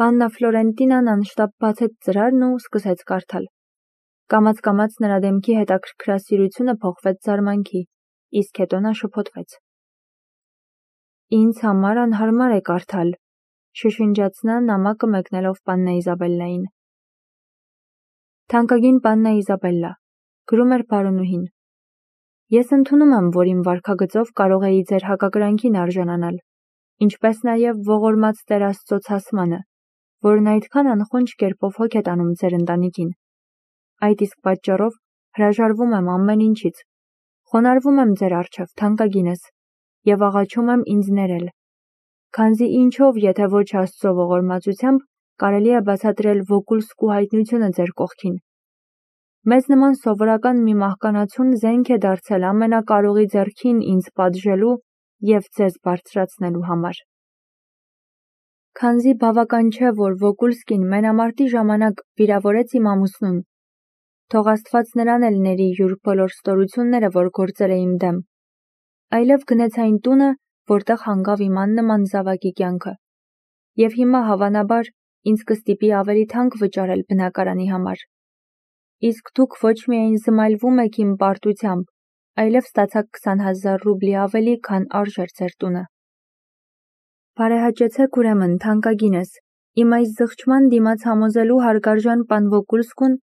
Բաննա Ֆլորենտինան անշտապ բացեց ծրարն ու սկսեց կարդալ։ Կամաց-կամաց նրա դեմքի հետաքրքրասիրությունը փոխվեց զարմանքի, իսկ հետո նա շփոթվեց։ Ինձ համար անհարմար է կարդալ, շշնջաց նա նամակը մեկնելով պաննա Իզաբելլային։ Թանկագին պաննա Իզաբելլա, գրում էր բարոնուհին։ Ես ընդունում եմ, որ իմ վարքագծով կարող էի ձեր հակակրանքին արժանանալ, ինչպես նաև ողորմած Տեր Աստծո ցասմանը, որն այդքան անխոնջ կերպով հոգ է տանում ձեր ընտանիքին։ Այդ իսկ պատճառով հրաժարվում եմ ամեն ինչից, խոնարհվում եմ ձեր առջև, թանկագինս, եւ աղաչում եմ ինձ ներել։ Քանզի ինչով, եթե ոչ Աստծո ողորմածությամբ, կարելի է բացատրել Վոկուլսկու հայտնությունը ձեր կողքին։ Մեզ նման սովորական մի մահկանացուն զենք է դարձել ամենակարողի ձեռքին ինձ պատժելու եւ ձեզ բարձրացնելու համար։ Քանզի բավական չէ, որ Վոկուլսկին մենամարտի ժամանակ վիրավորեց իմ ամուսնուն, թող Աստված նրան էլ ների յուր բոլոր ստորությունները, որ գործել է իմ դեմ, այլև գնեց այն տունը, որտեղ հանգավ իմ աննման զավակի կյանքը, եւ հիմա հավանաբար ինձ կստիպի ավելի թանկ վճարել բնակարանի համար։ Իսկ դուք ոչ միայն զմայլվում եք իմ պարտությամբ, այլև ստացաք 20,000 ռուբլի ավելի, քան արժեր ձեր տունը։ Բարեհաճեցեք ուրեմն, թանկագինս, իմ այս զղջման դիմաց համոզելու հարգարժան պան Վոկուլսկուն,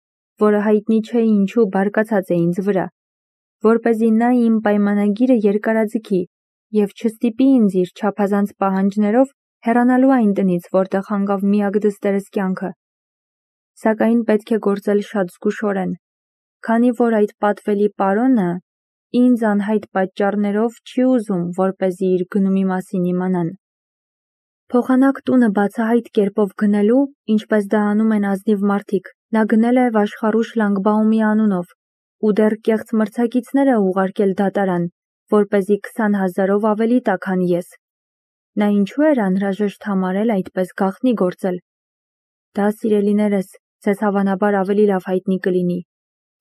որը հայտնի չէ ինչու բարկացած է ինձ վրա, որպեսզի նա իմ պայմանագիրը երկարաձգի եւ չստիպի ինձ իր չափազանց պահանջներով հեռանալու այն տնից, որտեղ հանգավ միակ դստերս կյանքը։ Սակայն պետք է գործել շատ զգուշորեն, քանի որ այդ պատվելի պարոնը ինձ անհայտ պատճառներով չի ուզում, որպեսզի իր գնումի մասին իմանան։ Փոխանակ տունը բացահայտ կերպով գնելու, ինչպես դա անում են ազնիվ մարդիկ, նա գնել է Վաշխառու Շլանգբաումի անունով ու դեռ կեղծ մրցակիցներ է ուղարկել դատարան, որպեսզի 20,000-ով ավելի տա, քան ես։ Նա ինչու էր անհրաժեշտ համարել այդպես գաղտնի գործել։ Դա, սիրելիներս, ձեզ հավանաբար ավելի լավ հայտնի կլինի,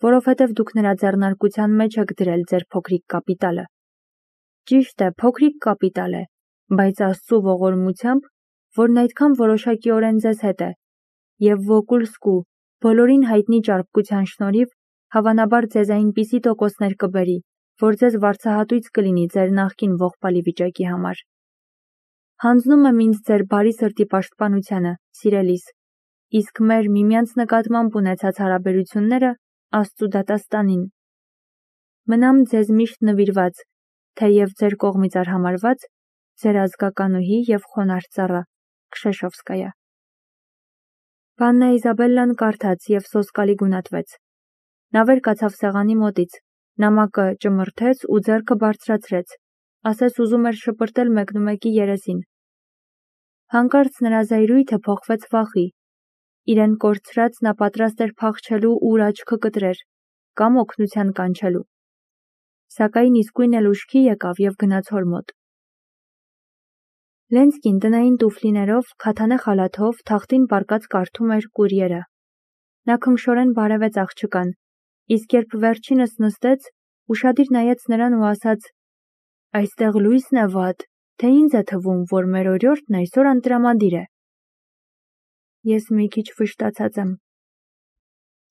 որովհետև դուք նրա ձեռնարկության մեջ եք դրել ձեր փոքրիկ կապիտալը։ Ճիշտ է, փոքրիկ կապիտալ է, բայց Աստծո ողորմությամբ, որն այդքան որոշակիորեն ձեզ հետ է, եւ Վոկուլսկու բոլորին հայտնի ճարպկության շնորհիվ, հավանաբար ձեզ այնպիսի տոկոսներ կբերի, որ ձեզ վարձահատույց կլինի ձեր նախկին ողբալի վիճակի համար։ Հանձնում եմ ինձ ձեր բարի սրտի պաշտպանությանը, սիրելիս, իսկ մեր միմյանց նկատմամբ ունեցած հարաբերությունները Աստծու դատաստանին։ Մնամ ձեզ միշտ նվիրված, թեև ձեր կողմից արհամարված, ձեր ազգականուհի եւ խոնարհ ծառա, Քշեշովսկայա։ Պաննա Իզաբելլան կարդաց եւ սոսկալի գունատվեց։ Նա վեր կացավ սեղանի մոտից, նամակը ճմրթեց ու ձեռքը բարձրացրեց, ասես ուզում էր շպրտել մեկնումեկի երեսին։ Հանկարծ նրա զայրույթը փոխվեց վախի։ Իրեն կորցրած նա պատրաստ էր փախչելու ուր աչքը կտրեր, կամ օգնության կանչելու։ Սակայն իսկույն էլ ուշքի եկավ եւ գնաց հոր մոտ։ Լենսկին տնային տուֆլիներով, քաթանե խալաթով թախտին պառկած կարդում էր կուրիերը։ Նա քնքշորեն բարևեց աղջկան, իսկ երբ վերջինս նստեց, ուշադիր նայեց նրան ու ասաց. «Այստեղ լույսն է վատ, թե ինձ է թվում, որ մեր օրիորդն այսօր անտրամադիր է»։ Ես մի քիչ վշտացած եմ։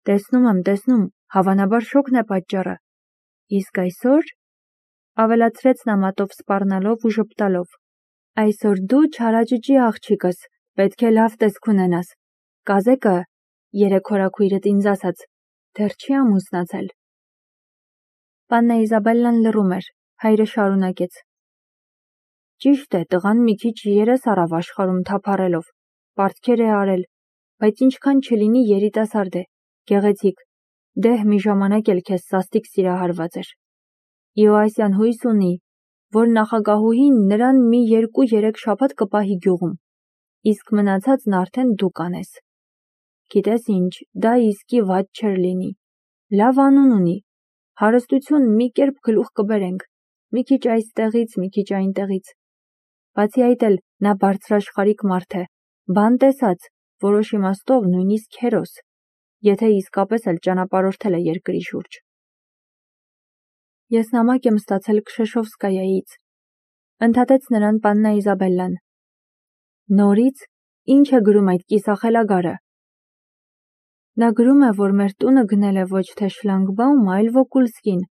Տեսնում, հավանաբար շոգն է պատճառը։ Իսկ այսօր, ավելացրեց նա մատով սպառնալով ու ժպտալով, այսօր դու չարաճճի աղջիկս, պետք է լավ տեսք ունենաս։ Կազեկը, երեկ հորաքույրդ ինձ ասաց, դեռ չի ամուսնացել։ Պաննա Իզաբելլան լռում էր, հայրը շարունակեց. Ճիշտ է, տղան մի քիչ երես առավ աշխարհում թափառելով, պարտքեր է արել, բայց ինչքան չլինի երիտասարդ է, գեղեցիկ, դեհ մի ժամանակ էլ քեզ սաստիկ սիրահարված էր։ Իոասյան հույս ունի, որ նախագահուհին նրան մի 2-3 շաբաթ կպահի գյուղում, իսկ մնացածն արդեն դու կանես։ Գիտես ինչ, դա իսկի վատ չէր լինի։ Լավ անուն ունի, հարստություն մի կերպ գլուխ կբերենք, մի քիչ այստեղից, մի քիչ այնտեղից։ Բացի այդ էլ նա բարձրաշխարհիկ մարդ է, բան տեսած, որոշ իմաստով նույնիսկ հերոս, եթե իսկապես էլ ճանապարհորդել է երկրի շուրջ։ Ես նամակ եմ ստացել Քշեշովսկայայից, ընդհատեց նրան պաննա Իզաբելլան։ Նորից, Ինչ է գրում այդ կիսախելագարը։ Նա գրում է, որ մեր տունը գնել է ոչ թե Շլանգբաում, այլ Վոկուլսկին,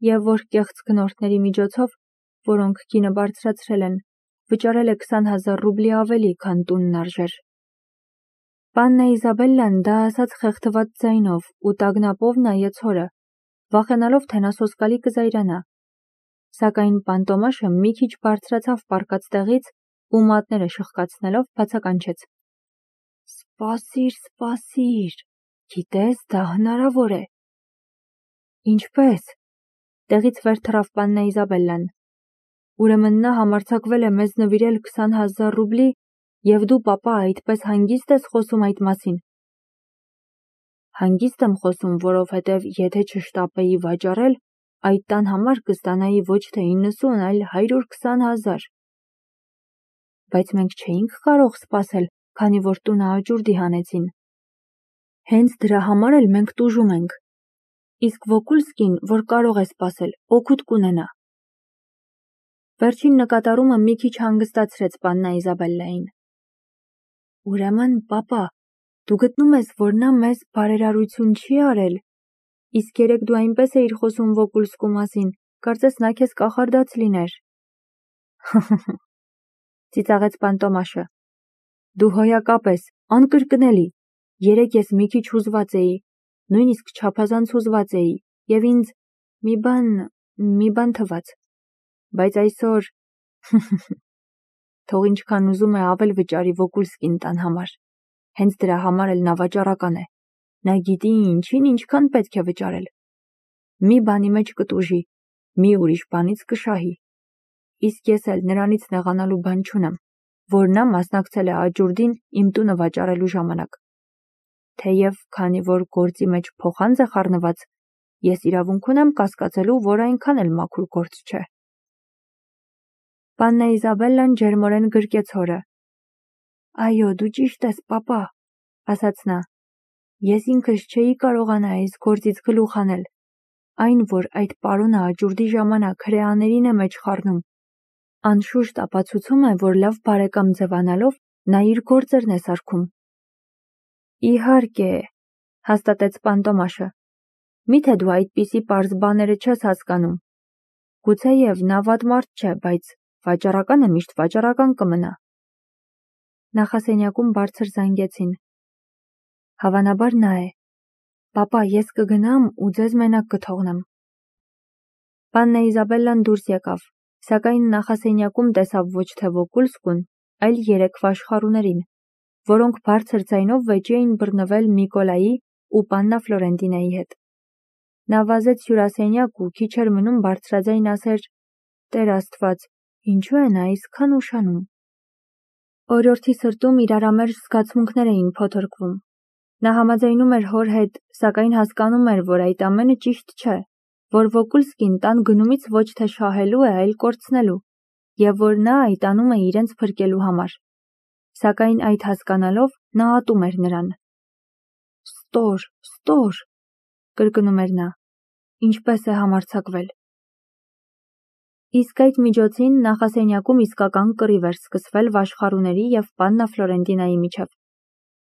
և որ կեղծ գնորդների միջոցով, որոնք գինը բարձրացրել են, վճարել է 20,000 ռուբլի ավելի, քան տունն արժեր։ Պաննա Իզաբելլան դա ասաց խեղդված ձայնով ու տագնապով նայեց հորը, վախենալով, թե նա սոսկալի կզայրանա։ Սակայն պան Տոմաշը մի քիչ բարձրացավ պառկած տեղից ու մատները շխկացնելով բացականչեց. «Սպասիր, սպասիր, գիտես, դա հնարավոր է»։ Ինչպե՞ս։ Տեղից վեր թռավ պաննա Իզաբելլան։ Ուրեմն նա համարձակվել է մեզ նվիրել 20,000 ռուբլի, և դու, պապա, այդպես հանգիստ ես խոսում այդ մասին։ Հանգիստ եմ խոսում, որովհետև եթե չշտապեի վաճառել, այդ տան համար կստանայի ոչ թե 90, այլ 120,000։ Բայց մենք չէինք կարող սպասել, քանի որ տունը աճուրդի հանեցին։ Հենց դրա համար էլ մենք տուժում ենք։ Իսկ Վոկուլսկին, որ կարող է սպասել, օգուտ կունենա։ Վերջին նկատառումը մի քիչ հանգստացրեց պաննա Իզաբելլային։ Ուրեմն, պապա, դու գտնում ես, որ նա մեզ բարերարություն չի արել։ Իսկ երեկ դու այնպես էիր խոսում Վոկուլսկու մասին, կարծես նա քեզ կախարդած լիներ։ Ծիծաղեց պան Տոմաշը։ Դու հոյակապ ես, անկրկնելի։ Երեկ ես մի քիչ հուզված էի, նույնիսկ չափազանց հուզված էի, և ինձ մի բան թվաց։ Բայց այսօր թող ինչքան ուզում է ավել վճարի Վոկուլսկին տան համար։ Հենց դրա համար էլ նա վաճառական է։ Նա գիտի ինչին ինչքան պետք է վճարել։ Մի բանի մեջ կտուժի, մի ուրիշ բանից կշահի։ Իսկ ես էլ նրանից նեղանալու բան չունեմ, որ նա մասնակցել է աճուրդին իմ տունը վաճառելու ժամանակ։ Թեև քանի որ գործի մեջ փոխանց է խառնված, ես իրավունք ունեմ կասկածելու, որ այնքան էլ մաքուր գործ չէ։ Պաննա Իզաբելլան ջերմորեն գրկեց հորը։ Այո, դու ճիշտ ես, պապա, ասաց նա։ Ես ինքս չէի կարողանա այս գործից գլուխ հանել, այն, որ այդ պարոնը աճուրդի ժամանակ հրեաներին է մեջ խառնում, անշուշտ ապացուցում է, որ լավ բարեկամ ձևանալով նա իր գործերն է սարքում։ Իհարկե, հաստատեց պան Տոմաշը։ Միթե դու այդպիսի պարզ բաները չես հասկանում։ Գուցեև նա վատ մարդ չէ, բայց վաճառականը միշտ վաճառական կմնա։ Նախասենյակում բարձր զանգեցին։ Հավանաբար նա է։ Պապա, ես կգնամ ու ձեզ մենակ կթողնեմ։ Պաննա Իզաբելլան դուրս եկավ, սակայն նախասենյակում տեսավ ոչ թե Վոկուլսկուն, այլ 3 վաշխառուներին, որոնք բարձր ձայնով վեճի էին բռնվել Միկոլայի ու պաննա Ֆլորենտինայի հետ։ Նա վազեց հյուրասենյակ ու քիչ էր մնում բարձրաձայն ասեր. Տեր Աստված, ինչու է նա այսքան ուշանում։ Օրիորդի սրտում իրարամերժ զգացմունքներ էին փոթորկվում։ Նա համաձայնում էր հոր հետ, սակայն հասկանում էր, որ այդ ամենը ճիշտ չէ, որ Վոկուլսկին տան գնումից ոչ թե շահելու է, այլ կորցնելու, և որ նա այդ անում է իրենց փրկելու համար։ Սակայն այդ հասկանալով նա ատում էր նրան։ Ստոր, կրկնում էր նա, ինչպես է համարձակվել։ Իսկ այդ միջոցին նախասենյակում իսկական կռիվ էր սկսվել վաշխառուների և պաննա Ֆլորենտինայի միջև։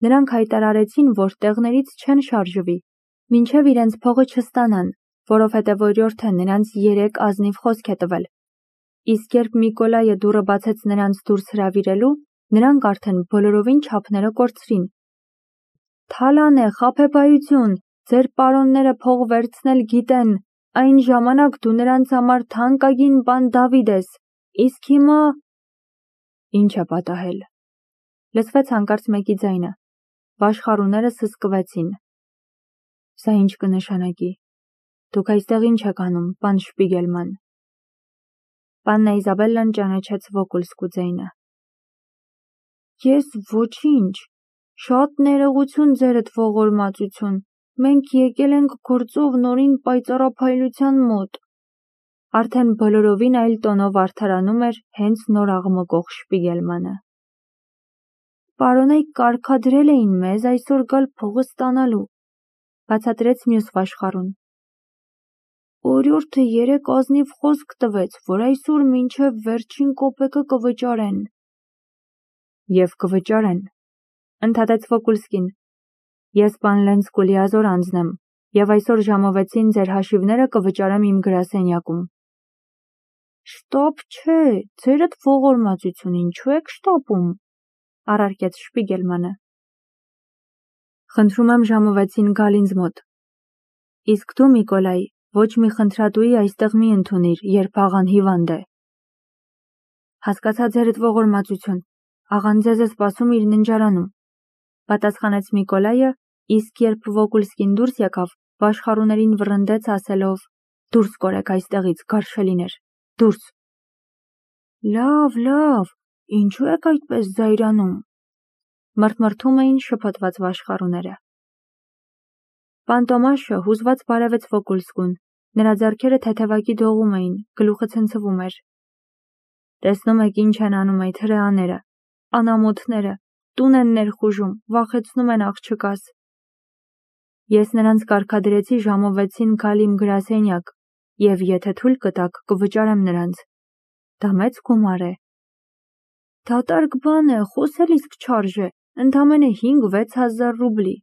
Նրանք հայտարարեցին, որ տեղներից չեն շարժվի, մինչև իրենց փողը չստանան, որովհետև օրիորդը նրանց 3 ազնիվ խոսք է տվել։ Իսկ երբ Միկոլայը դուռը բացեց նրանց դուրս հրավիրելու, նրանք արդեն բոլորովին չափները կորցրին։ Թալան է, խաբեբայություն, ձեր պարոնները փող վերցնել գիտեն, այն ժամանակ դու նրանց համար թանկագին պան Դավիթ ես, իսկ հիմա… Ինչ է պատահել։ Լսվեց հանկարծ մեկի ձայնը։ Վաշխառուները սսկվեցին։ Սա ինչ կնշանակի։ Դուք այստեղ ինչ եք անում, պան Շպիգելման։ Պաննա Իզաբելլան ճանաչեց Վոկուլսկու ձայնը։ Ես ոչինչ, շատ ներողություն ձերդ ողորմածություն, մենք եկել ենք գործով նորին պայծառափայլության մոտ։ Արդեն բոլորովին այլ տոնով արդարանում էր հենց նոր աղմկող Շպիգելմանը։ Պարոնայք կարգադրել էին մեզ այսօր գալ փողը ստանալու, բացատրեց մյուս վաշխառուն։ Օրիորդը 3 ազնիվ խոսք տվեց, որ այսօր մինչև վերջին կոպեկը կվճարեն։ Եվ կվճարեն, ընդհատեց Վոկուլսկին։ Ես պան Լենցկուլի ազոր անձնեմ, եւ այսօր ժամը 6-ին ձեր հաշիվները կվճարեմ իմ գրասենյակում։ Շտապ չէ, ձերդ ողորմածություն, ինչու եք շտապում, առարկեց Շպիգելմանը։ Խնդրում եմ ժամը 6-ին գալ ինձ մոտ։ Իսկ դու, Միկոլայ, ոչ մի խնդրատուի այստեղ մի ընդունիր, երբ աղան հիվանդ է։ Հասկացա ձերդ ողորմածություն, աղան ձեզ է սպասում իր ննջարանում, պատասխանեց Միկոլայը, իսկ երբ Վոկուլսկին դուրս եկավ, վաշխառուներին վռնդեց ասելով. Դուրս կորեք այստեղից, գարշելիներ, դուրս։ Լավ, ինչու եք այդպես զայրանում, մռթմռթում էին շփոթված վաշխառուները։ Պան Տոմաշը հուզված բարևեց Վոկուլսկուն, նրա ձեռքերը թեթևակի դողում էին, գլուխը ցնցվում էր։ Տեսնում եք ինչ են անում այդ հրեաները, անամոթները, տուն են ներխուժում, վախեցնում են աղջկաս։ Ես նրանց կարգադրեցի ժամը 6-ին գալ իմ գրասենյակ, եւ եթե թույլ կտաք, կվճարեմ նրանց։ Դա մեծ գումար է։ Դատարկ բան է, խոսել իսկ չարժե, ընդամենը 5-6 հազար ռուբլի։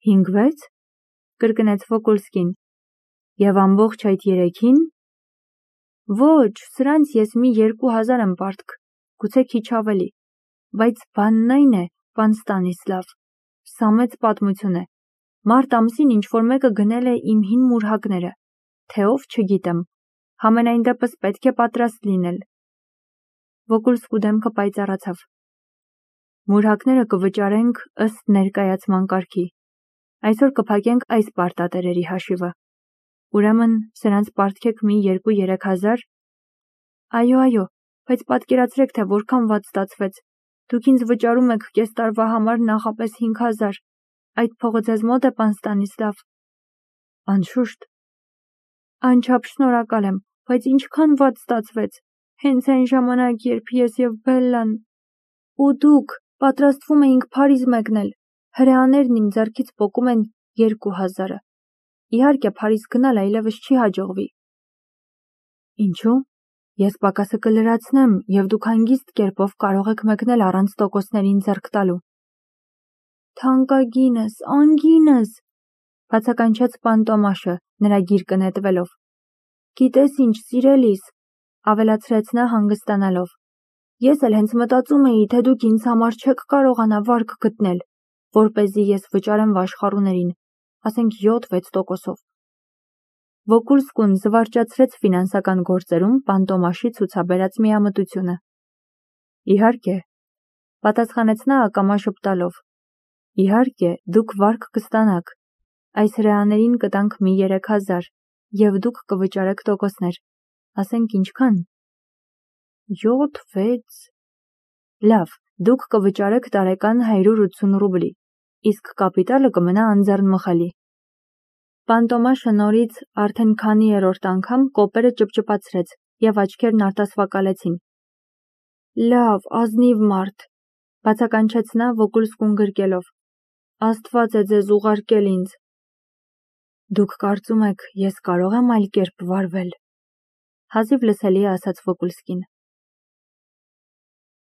5-6? Կրկնեց Վոկուլսկին։ Եվ ամբողջ այդ 3-ին? Ոչ, սրանց ես մի 2000 եմ պարտք, գուցե քիչ ավելի, բայց բանն այն է, պան Ստանիսլավ, սա մեծ պատմություն է։ Մարտ ամսին ինչ-որ մեկը գնել է իմ հին մուրհակները, թե ով չգիտեմ, համենայն դեպս պետք է պատրաստ լինել։ Վոկուլսկու դեմքը պայծառացավ։ Մուրհակները կվճարենք ըստ ներկայացման կարգի։ Այսօր կփակենք այս պարտատերերի հաշիվը։ Ուրեմն սրանց պարտքեք մի 2-3 հազար։ Այո, բայց պատկերացրեք, թե որքան վատ ստացվեց։ Դուք ինձ վճարում եք կես տարվա համար նախապես 5000։ Այդ փողը ձեզ մոտ է, պան Ստանիսլավ։ Անշուշտ։ Անչափ շնորհակալ եմ, բայց ինչքան վատ ստացվեց։ Հենց այն ժամանակ, երբ ես եւ Բելլան ու դուք պատրաստվում էինք Փարիզ մեկնել, հրեաներն իմ ձեռքից պոկում են 2000-ը։ Իհարկե, Փարիզ գնալ այլևս չի հաջողվի։ Ինչու՞։ Ես պակասը կլրացնեմ, եւ դուք հանգիստ կերպով կարող եք մեկնել առանց տոկոսներին ձեռք տալու։ Թանկագինս, անգինս, բացականչեց պան Տոմաշը, նրա գիրկը նետվելով։ Գիտես ինչ, սիրելիս, ավելացրեց նա հանգստանալով։ Ես էլ հենց մտածում էի, թե դուք ինձ համար չեք կարողանա վարկ գտնել, որպեսզի ես վճարեմ վաշխառուներին, ասենք 7-6%-ով։ Վոկուլսկուն զվարճացրեց ֆինանսական գործերում պան Տոմաշի ցուցաբերած միամտությունը։ Իհարկե, պատասխանեց նա ակամա շպտալով։ Իհարկե, դուք վարկ կստանաք։ Այս հրեաներին կտանք մի 3000, եւ դուք կվճարեք տոկոսներ։ Ասենք ինչքան։ 7-6։ Լավ, դուք կվճարեք տարեկան 180 ռուբլի, իսկ կապիտալը կմնա անձեռնմխելի։ Պան Տոմաշը նորից արդեն քանի երրորդ անգամ կոպերը ճպճպացրեց եւ աչքերն արտասվակալեցին։ Լավ, ազնիվ մարդ, բացականչեց նա Վոկուլսկուն գրկելով։ Աստված է ձեզ ուղարկել ինձ։ Դուք կարծում եք, ես կարող եմ այլ կերպ վարվել, հազիվ լսելի ասաց Վոկուլսկին։